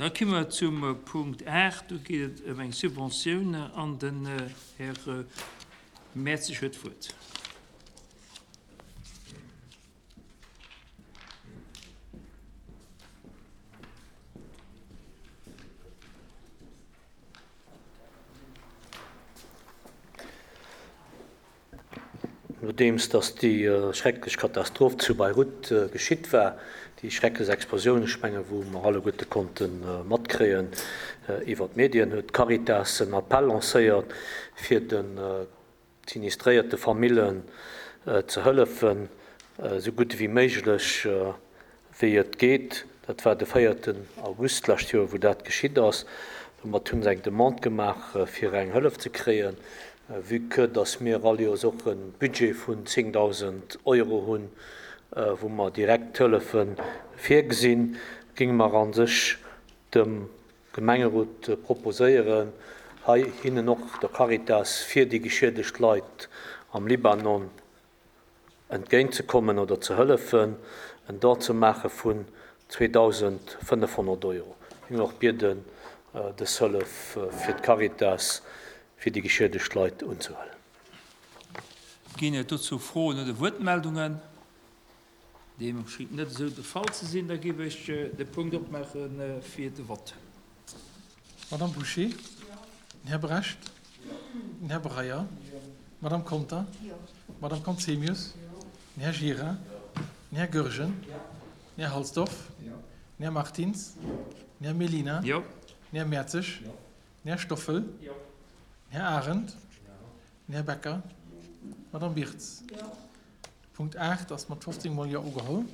Da komme mer zum Punkt 8. Do geet et ëm eng Subventioun an den Här Mertzig huet d'Wuert. Nodeems datt déi schrecklech Katastroph zu Beirut geschitt war, déi schrecklech Explosioun, ech menge wou mer alleguerte konnte matkréien iwwer d'Medien, huet d'Caritas en Appell lancéiert, fir de sinistréierte Famillen ze hëllefen, esou gutt ewéi méiglech, wéi et geet. Dat war de véierten August d'lescht Joer, wou dat geschitt ass. Domat hu se eng Demande gemaach, fir eng Hëllef ze kréien. Vue que dass mir all Joers och e Budget vun 10.000 Euro hunn, wou mer direkt Hëllefe virgesinn, géinge mer a sech dem Gemengerot proposéieren, hei hinnen och der Caritas fir déi geschiedegt Leit am Libanon entgéint ze kommen oder ze hëllefen, en Don ze maache vun 2.500 Euro. Ech géing och bieden, dës Hëllef fir d'Caritas fir déi geschiedegt Leit unzehuelen. Ginn et dozou Froen oder Wuertmeldungen? Deem schéngt net esou de Fall ze sinn. Da géif ech de Punkt opmaache fir de Vott. Madame Bouché? Den Här Brecht? Den Här Breyer? D'Madame Conter? D'Madame Conzemius? Den Här Gira? Den Här Goergen? Den Här Halsdorf? Den Här Martins? Den Här Mellina? Den Här Mertzig? Den Här Stoffel? Den Här Arendt? Den Här Becker? D'Madame Birtz? Punkt 8 ass mat 15 mol Jo ugeholl.